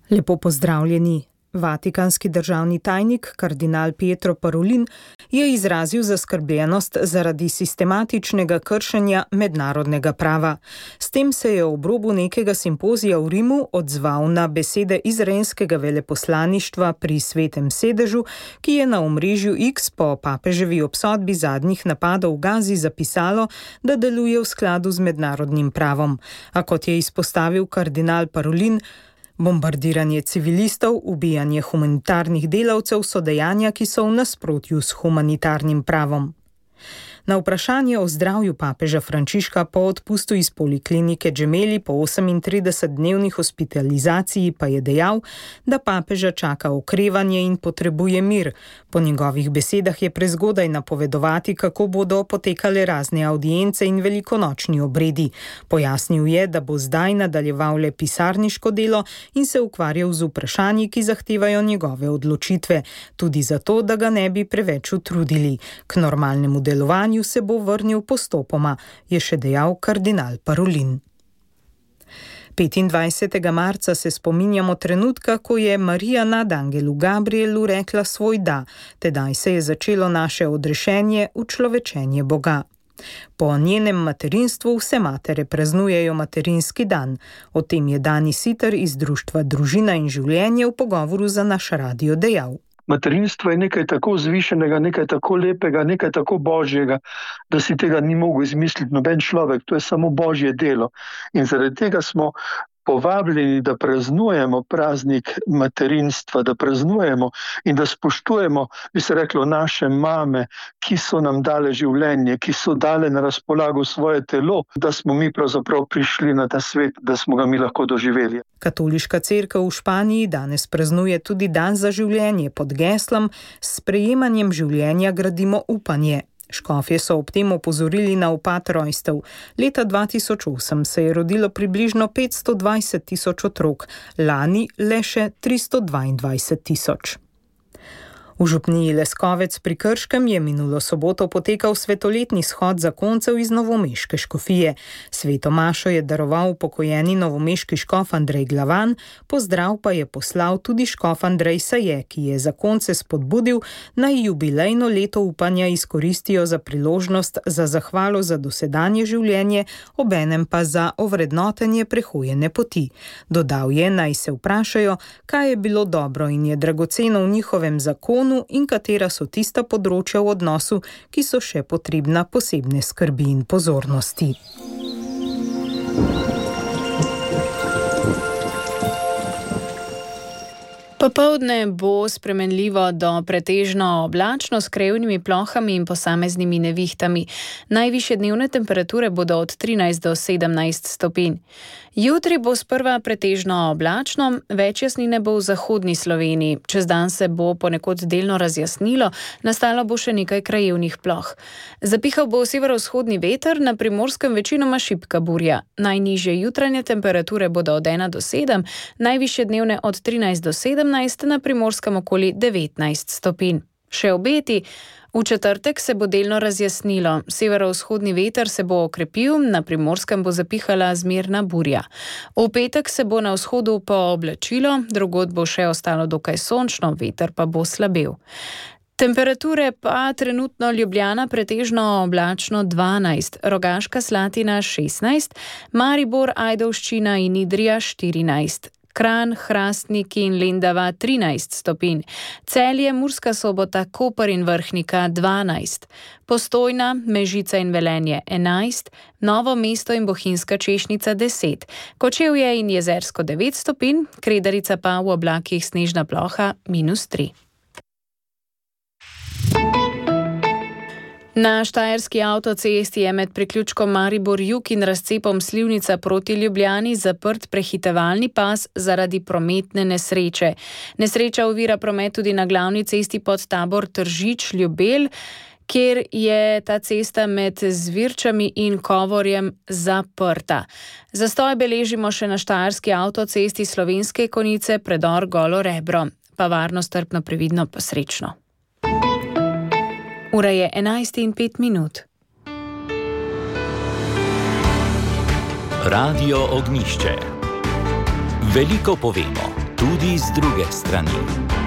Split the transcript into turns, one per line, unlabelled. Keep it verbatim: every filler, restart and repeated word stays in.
Lepo pozdravljeni. Vatikanski državni tajnik, kardinal Pietro Parolin, je izrazil zaskrbljenost zaradi sistematičnega kršenja mednarodnega prava. S tem se je ob robu nekega simpozija v Rimu odzval na besede izraelskega veleposlaništva pri Svetem sedežu, ki je na omrežju X po papeževi obsodbi zadnjih napadov v Gazi zapisalo, da deluje v skladu z mednarodnim pravom. A kot je izpostavil kardinal Parolin, bombardiranje civilistov, ubijanje humanitarnih delavcev so dejanja, ki so v nasprotju s humanitarnim pravom. Na vprašanje o zdravju papeža Frančiška po odpustu iz poliklinike Gemelli po osemintridesetdnevni hospitalizaciji pa je dejal, da papeža čaka okrevanje in potrebuje mir. Po njegovih besedah je prezgodaj napovedovati, kako bodo potekale razne avdience in velikonočni obredi. Pojasnil je, da bo zdaj nadaljeval le pisarniško delo in se ukvarjal z vprašanji, ki zahtevajo njegove odločitve, tudi zato, da ga ne bi preveč utrudili. K normalnemu delovanju se bo vrnil postopoma, je še dejal kardinal Parolin. petindvajsetega marca se spominjamo trenutka, ko je Marija nad angelu Gabrielu rekla svoj da, tedaj se je začelo naše odrešenje v človečenje Boga. Po njenem materinstvu vse matere praznujejo materinski dan. O tem je Dani Siter iz društva Družina in življenje v pogovoru za naš radio dejal.
Materinstvo je nekaj tako vzvišenega, nekaj tako lepega, nekaj tako božjega, da si tega ni mogel izmisliti noben človek. To je samo božje delo. In zaradi tega smo povabljeni, da praznujemo praznik materinstva, da praznujemo in da spoštujemo, bi se reklo, naše mame, ki so nam dale življenje, ki so dale na razpolago svoje telo, da smo mi pravzaprav prišli na ta svet, da smo ga mi lahko doživeli.
Katoliška cerkev v Španiji danes praznuje tudi dan za življenje pod geslom S sprejemanjem življenja gradimo upanje. Škofje so ob tem opozorili na upad rojstev. Leta dva tisoč osem se je rodilo približno petsto dvajset tisoč otrok, lani le še tristo dvaindvajset tisoč. V župniji Leskovec pri Krškem je minulo soboto potekal svetoletni shod zakoncev iz novomeške škofije. Sveto mašo je daroval upokojeni novomeški škof Andrej Glavan, pozdrav pa je poslal tudi škof Andrej Saje, ki je zakonce spodbudil, naj jubilejno leto upanja izkoristijo za priložnost za zahvalo za dosedanje življenje, obenem pa za ovrednotenje prehojene poti. Dodal je, naj se vprašajo, kaj je bilo dobro in je dragoceno v njihovem zakonu in katera so tista področja v odnosu, ki so še potrebna posebne skrbi in pozornosti.
Popoldne bo spremenljivo do pretežno oblačno s krajevnimi plohami in posameznimi nevihtami. Najvišje dnevne temperature bodo od trinajst do sedemnajst stopinj. Jutri bo sprva pretežno oblačno, več jasnine bo v zahodni Sloveniji. Čez dan se bo ponekod delno razjasnilo, nastalo bo še nekaj krajevnih ploh. Zapihal bo severovzhodni veter, na Primorskem večinoma šibka burja. Najnižje jutranje temperature bodo od ena do sedem, najvišje dnevne od trinajst do sedemnajst, na Primorskem okoli devetnajst stopinj. Še obeti. V četrtek se bo delno razjasnilo, severovzhodni veter se bo okrepil, na Primorskem bo zapihala zmerna burja. V petek se bo na vzhodu pooblačilo, drugod bo še ostalo dokaj sončno, veter pa bo slabel. Temperature pa trenutno Ljubljana pretežno oblačno dvanajst, Rogaška Slatina šestnajst, Maribor, Ajdovščina in Idrija štirinajst. Kranj, Hrastnik in Lendava trinajst stopinj, Celje, Murska Sobota, Koper in Vrhnika dvanajst, Postojna, Mežica in Velenje enajst, Novo mesto in Bohinjska Češnica deset, Kočevje in Jezersko devet stopinj, Kredarica pa v oblakih snežna ploha minus tri. Na štajerski avtocesti je med priključkom Maribor-Jug in razcepom Slivnica proti Ljubljani zaprt prehitevalni pas zaradi prometne nesreče. Nesreča ovira promet tudi na glavni cesti pod Tabor Tržič-Ljubelj, kjer je ta cesta med Zvirčami in Kovorjem zaprta. Zastoj beležimo še na štajerski avtocesti Slovenske Konjice, predor Golo Rebro. Pa varno, strpno, previdno, pa srečno. Ura je enajst in pet minut.
Radio Ognjišče. Veliko povemo. tudi z druge strani.